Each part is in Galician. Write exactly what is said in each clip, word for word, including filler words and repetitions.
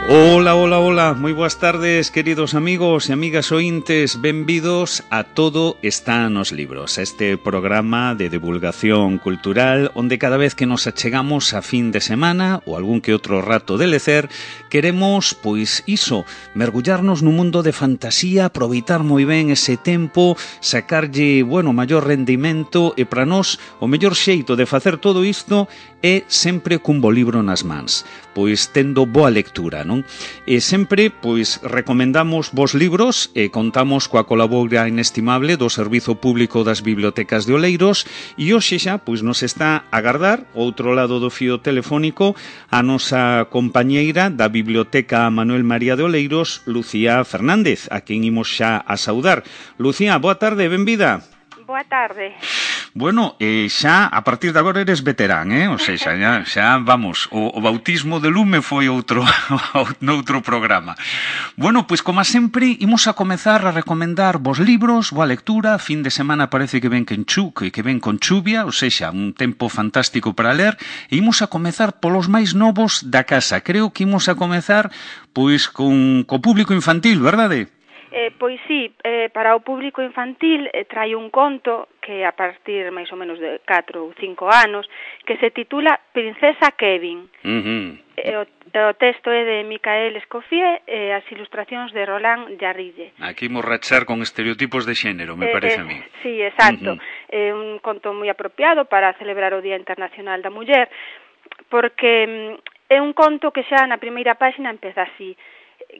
Ola, ola, ola, moi boas tardes, queridos amigos e amigas ointes, benvidos a Todo está nos libros, este programa de divulgación cultural onde cada vez que nos achegamos a fin de semana ou algún que outro rato de lecer, queremos, pois iso, mergullarnos nun mundo de fantasía, aproveitar moi ben ese tempo, sacarlle, bueno, maior rendimento e para nós o mellor xeito de facer todo isto é sempre cun bo libro nas mans, pois tendo boa lectura, non? E sempre, pois, recomendamos vos libros e contamos coa colabora inestimable do Servizo Público das Bibliotecas de Oleiros e hoxe xa, pois, nos está a agardar, outro lado do fío telefónico, a nosa compañeira da Biblioteca Manuel María de Oleiros, Lucía Fernández, a quen imos xa a saudar. Lucía, boa tarde, benvida. Boa tarde. Bueno, eh, xa a partir de agora eres veterán, eh? O sea, xa, xa vamos, o, o bautismo de lume foi outro noutro programa. Bueno, pois como sempre, imos a comezar a recomendar vos libros, boa lectura, fin de semana parece que ven que enchuque, que ven con chuvia, ou seja, un tempo fantástico para ler, e imos a comezar polos máis novos da casa. Creo que imos a comezar pois con co público infantil, verdade? Eh, pois sí, eh, para o público infantil eh, trai un conto que a partir máis ou menos de catro ou cinco anos que se titula Princesa Kevin. Uh-huh. E o, o texto é de Micael Escoffier e as ilustracións de Roland Jarrille. Aquí imos rachar con estereotipos de xénero, me parece eh, a mí. Sí, exacto. Uh-huh. É un conto moi apropiado para celebrar o Día Internacional da Muller porque é un conto que xa na primeira páxina empeza así: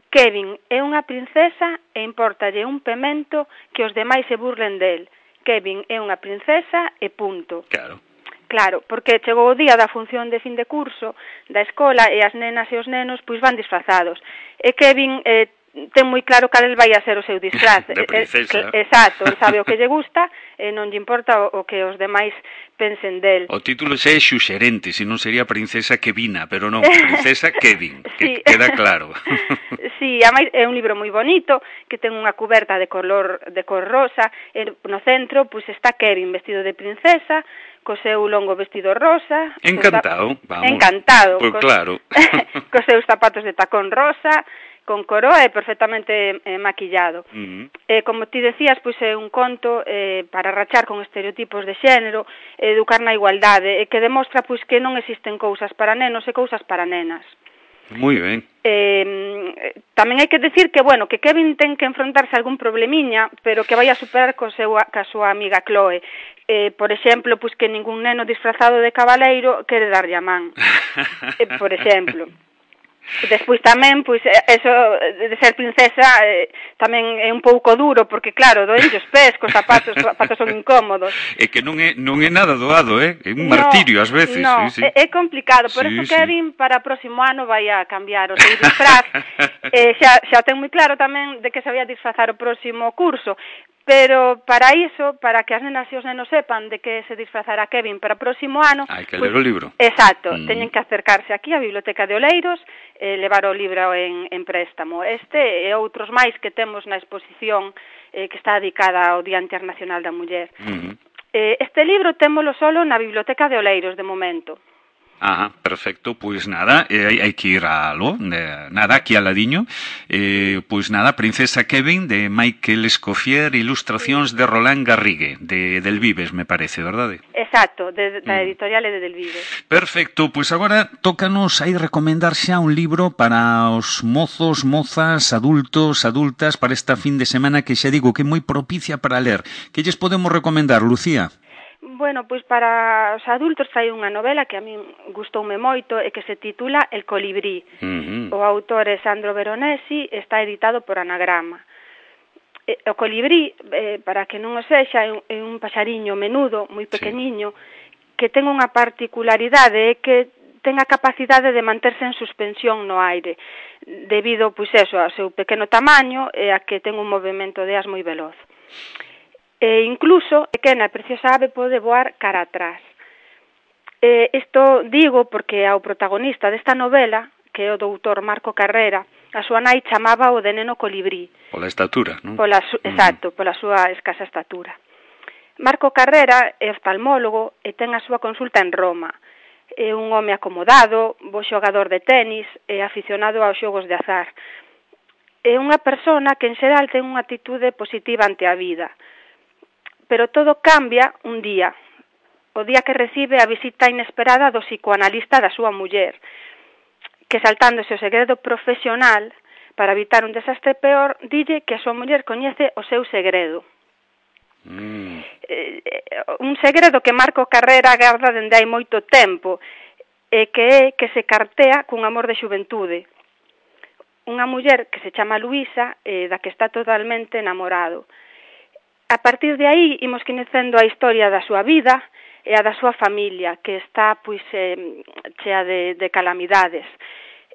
Kevin é unha princesa e impórtalle un pemento que os demais se burlen del. Kevin é unha princesa e punto. Claro. Claro, porque chegou o día da función de fin de curso da escola e as nenas e os nenos pois van disfrazados. E Kevin eh, ten moi claro cal vai a ser o seu disfraz. De princesa. Eh, exacto, el sabe o que lle gusta e non lle importa o, o que os demais pensen del. O título xa é xuxerente, se non sería Princesa Kevina, pero non, Princesa Kevin, que Sí. queda claro. Sí, ademais é un libro moi bonito, que ten unha cuberta de color de cor rosa, e no centro pois está Kevin vestido de princesa, co seu longo vestido rosa. Encantado, vamos. Encantado. Pois cos, claro. cos seus zapatos de tacón rosa, con coroa e perfectamente eh, maquillado. Uh-huh. Eh, como ti decías, pois é un conto eh, para rachar con estereotipos de xénero, educar na igualdade, e que demostra pois que non existen cousas para nenos e cousas para nenas. Moi ben. Eh, tamén hai que decir que, bueno, que Kevin ten que enfrontarse a algún problemiña, pero que vai a superar co seu, ca súa amiga Chloe. Eh, por exemplo, pois que ningún neno disfrazado de cabaleiro quere darlle a man. eh, por exemplo. Despois tamén, pois, eso de ser princesa eh, tamén é un pouco duro, porque claro, doenlle os pés, cos zapatos, os zapatos son incómodos. É que non é non é nada doado, eh? É un martirio ás veces. No, sí, sí. é, é complicado, por sí, eso sí. Kevin para o próximo ano vai a cambiar o seu disfraz. eh, xa, xa ten moi claro tamén de que se vai a disfrazar o próximo curso. Pero para iso, para que as nenas e os nenos sepan de que se disfrazará Kevin para o próximo ano... Hai que pues, ler o libro. Exacto, Mm. teñen que acercarse aquí á Biblioteca de Oleiros e levar o libro en, en préstamo. Este e outros máis que temos na exposición eh, que está dedicada ao Día Internacional da Muller. Uh-huh. Eh, este libro témolo solo na Biblioteca de Oleiros, de momento. Ah, perfecto, pois nada, eh, hai, hai que ir a lo, eh, nada, aquí al ladiño, eh, pois nada, Princesa Kevin de Micael Escoffier, ilustracións de Roland Garrigue, de Del Vives, me parece, verdade? Exacto, de, da Mm. editorial de Del Vives. Perfecto, pois agora tócanos aí recomendar xa un libro para os mozos, mozas, adultos, adultas, para esta fin de semana que xa digo que é moi propicia para ler. Que lles podemos recomendar, Lucía? Bueno, pois para os adultos hai unha novela que a min gustoume moito e que se titula El colibrí. Uh-huh. O autor é Sandro Veronesi, está editado por Anagrama. E, o colibrí, eh, para que non o sexa, é un, é un paxariño menudo, moi pequeniño, sí, que ten unha particularidade, é que ten a capacidade de manterse en suspensión no aire, debido, pois eso, ao seu pequeno tamaño e a que ten un movimento de as moi veloz. E incluso, pequena e preciosa ave pode voar cara atrás. Eh, isto digo porque ao protagonista desta novela, que é o doutor Marco Carrera, a súa nai chamaba o de neno colibrí. Pola estatura, non? Pola su, exacto, pola súa escasa estatura. Marco Carrera é oftalmólogo e ten a súa consulta en Roma. É un home acomodado, bo xogador de tenis e aficionado aos xogos de azar. É unha persona que en xeral ten unha actitude positiva ante a vida. Pero todo cambia un día, o día que recibe a visita inesperada do psicoanalista da súa muller, que saltándose o segredo profesional para evitar un desastre peor, dille que a súa muller coñece o seu segredo. Mm. Eh, un segredo que Marco Carrera garda dende hai moito tempo, e que é que se cartea cun amor de xuventude. Unha muller que se chama Luisa, eh, da que está totalmente enamorado. A partir de aí, imos coñecendo a historia da súa vida e a da súa familia, que está, pois, eh, chea de, de calamidades.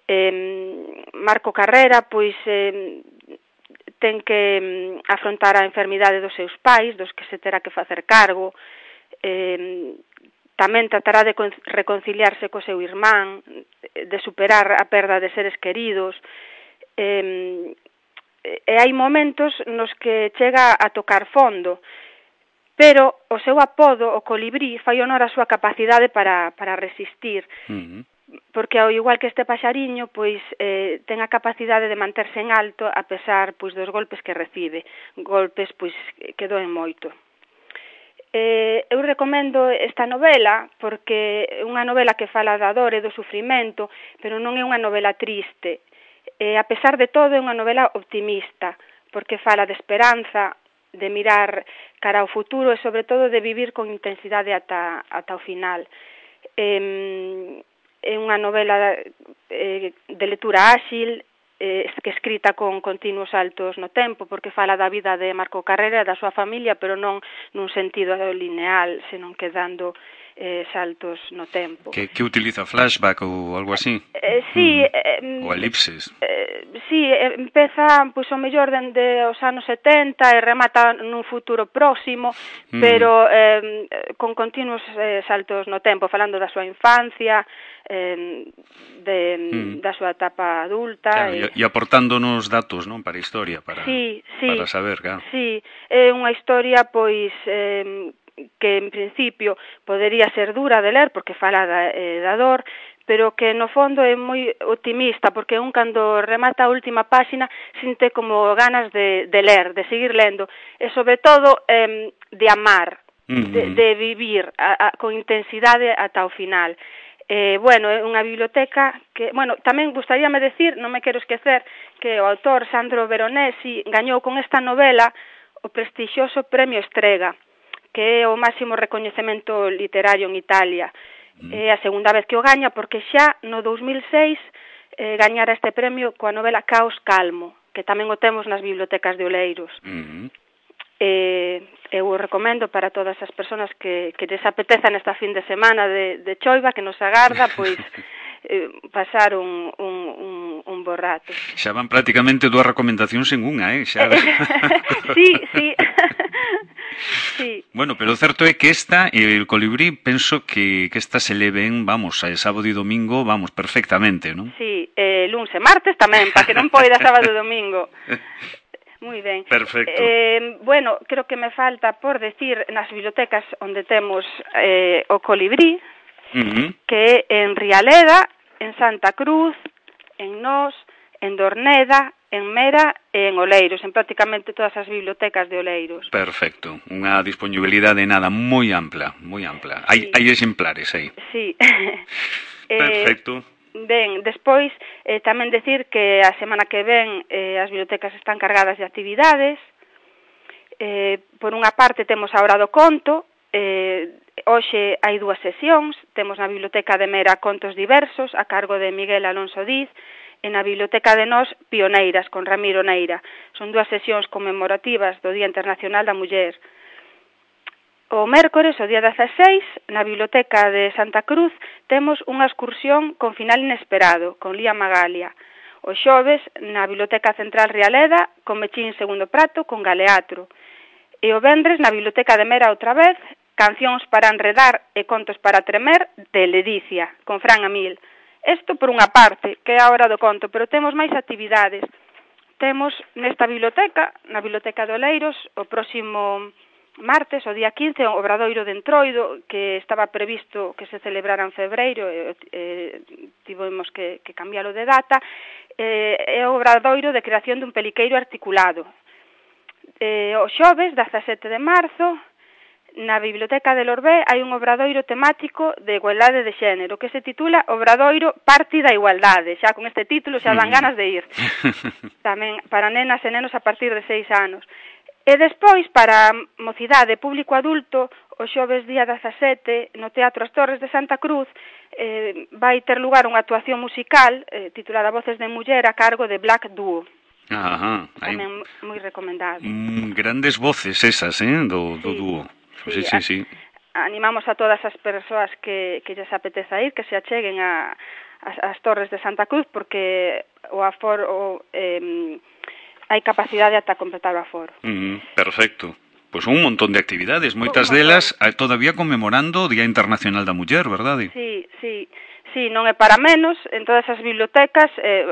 Eh, Marco Carrera, pois, eh, ten que afrontar a enfermidade dos seus pais, dos que se terá que facer cargo, eh, tamén tratará de reconciliarse co seu irmán, de superar a perda de seres queridos, eh, e hai momentos nos que chega a tocar fondo, pero o seu apodo, o colibrí, fai honor a súa capacidade para, para resistir. Uh-huh. Porque ao igual que este paxariño, pois eh, ten a capacidade de manterse en alto a pesar pois dos golpes que recibe, golpes pois que doen moito. Eh, eu recomendo esta novela porque é unha novela que fala da dor e do sufrimento, pero non é unha novela triste. Eh, a pesar de todo é unha novela optimista, porque fala de esperanza, de mirar cara ao futuro e sobre todo de vivir con intensidade ata, ata o final. Eh, é unha novela eh, de lectura áxil, eh, que escrita con continuos saltos no tempo, porque fala da vida de Marco Carrera e da súa familia, pero non nun sentido lineal, senón que dando eh, saltos no tempo. Que, que utiliza flashback ou algo así? Eh, sí. Mm. Eh, ou elipses? Eh, sí, empeza, pois, o mellor dende os anos setenta e remata nun futuro próximo, mm. pero eh, con continuos eh, saltos no tempo, falando da súa infancia, eh, de, mm. da súa etapa adulta. Claro, e, e aportándonos datos, non, para a historia, para, sí, sí, para saber, claro. Sí, é unha historia, pois, eh, que en principio podería ser dura de ler porque fala da, eh, da dor, pero que no fondo é moi optimista, porque un cando remata a última páxina sinte como ganas de, de ler, de seguir lendo, e sobre todo eh, de amar, uh-huh. de, de vivir a, a, con intensidade ata o final. Eh, bueno, é unha biblioteca que, bueno, tamén gustaríame decir, non me quero esquecer, que o autor Sandro Veronesi gañou con esta novela o prestixioso Premio Strega, que é o máximo recoñecemento literario en Italia. Mm. É a segunda vez que o gaña, porque xa no dos mil seis eh, gañara este premio coa novela Caos Calmo, que tamén o temos nas bibliotecas de Oleiros. Mm. Eh, eu o recomendo para todas as persoas que, que les apetezan esta fin de semana de, de choiva, que nos agarda, pois eh, pasar un, un, un, un bo rato. Xa van prácticamente dúas recomendacións en unha, eh? Xa... sí, sí. Sí. Bueno, pero o certo é que esta, el colibrí, penso que, que esta se le ven, vamos, a sábado e domingo, vamos, perfectamente, non? Sí, eh, luns e martes tamén, para que non poida sábado e domingo. Moi ben. Perfecto. Eh, bueno, creo que me falta por decir nas bibliotecas onde temos eh, o colibrí, uh-huh. que é en Rialeda, en Santa Cruz, en Nós, en Dorneda, en Mera e en Oleiros, en prácticamente todas as bibliotecas de Oleiros. Perfecto, unha disponibilidade nada moi ampla, moi ampla. Hai, sí. hai exemplares aí. Sí. Perfecto. Eh, ben, despois eh, tamén decir que a semana que ven eh, as bibliotecas están cargadas de actividades. Eh, por unha parte temos a Hora do Conto, eh, hoxe hai dúas sesións, temos na Biblioteca de Mera Contos Diversos, a cargo de Miguel Alonso Diz, e na Biblioteca de Nós, Pioneiras, con Ramiro Neira. Son dúas sesións conmemorativas do Día Internacional da Muller. O mércores, o día dezaseis, na Biblioteca de Santa Cruz, temos unha excursión con final inesperado, con Lía Magalia. O xoves, na Biblioteca Central Rialeda, con Mechín Segundo Prato, con Galeatro. E o vendres, na Biblioteca de Mera outra vez, Cancións para enredar e contos para tremer, de Ledicia, con Fran Amil. Isto por unha parte, que é a Hora do Conto, pero temos máis actividades. Temos nesta biblioteca, na Biblioteca de Oleiros, o próximo martes, o día quince, o Obradoiro de Entroido, que estaba previsto que se celebrara en febreiro, e eh, tivemos que, que cambialo de data, eh, é o Obradoiro de creación dun peliqueiro articulado. Eh, o xoves, dezasete de marzo, na Biblioteca de Lorbé hai un obradoiro temático de igualdade de xénero que se titula Obradoiro Parti da Igualdade. Xa con este título xa dan ganas de ir. Tamén para nenas e nenos a partir de seis anos. E despois, para mocidade público adulto, o xoves día dezasete, no Teatro As Torres de Santa Cruz, eh, vai ter lugar unha actuación musical eh, titulada Voces de Muller a cargo de Black Duo. Ajá. Tamén moi recomendado. Mm, grandes voces esas, eh, do, do sí, dúo. Sí, sí, sí, sí. Animamos a todas as persoas que, que lles apeteza ir, que se acheguen a, a, as Torres de Santa Cruz, porque o aforo... Eh, hai capacidade ata completar o aforo. Mm, perfecto. Pois pues un montón de actividades, moitas delas todavía conmemorando o Día Internacional da Muller, verdade? Sí, sí, sí, non é para menos. En todas as bibliotecas eh,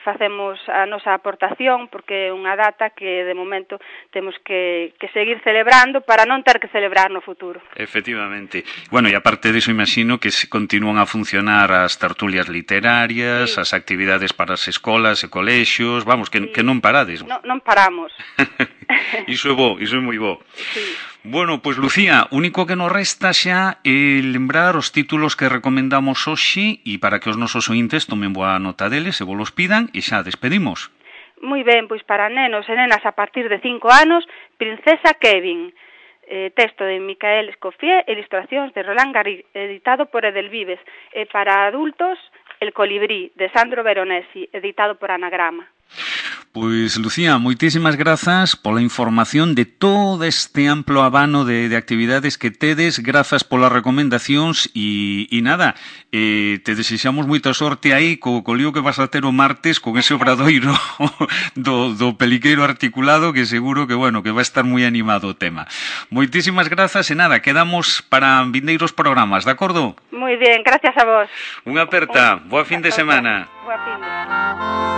facemos a nosa aportación, porque é unha data que de momento temos que, que seguir celebrando para non ter que celebrar no futuro. Efectivamente. Bueno, e aparte diso, imagino que se continúan a funcionar as tertulias literarias, sí. As actividades para as escolas e colexios, vamos, que, sí. que non parades. No, non paramos. Iso é bo, iso é moi bo. Sí. Bueno, pois Lucía, único que nos resta xa é lembrar os títulos que recomendamos hoxe e para que os nosos ointes tomen boa nota deles e vos los pidan e xa despedimos. Moi ben, pois para nenos e nenas a partir de cinco anos, Princesa Kevin, eh, texto de Micael Escoffier, ilustracións de Roland Garros, editado por Edelvives, e para adultos, El colibrí, de Sandro Veronesi, editado por Anagrama. Pois, Lucía, moitísimas grazas pola información de todo este amplo abano de, de actividades que tedes, grazas polas recomendacións e, e nada, eh, te desexamos moita sorte aí co, co lío que vas a ter o martes con ese obradoiro do, do peliqueiro articulado, que seguro que, bueno, que vai estar moi animado o tema. Moitísimas grazas e nada, quedamos para vindeiros programas, de acordo? Moi bien, gracias a vos. Unha aperta, boa fin de semana. Boa fin de semana.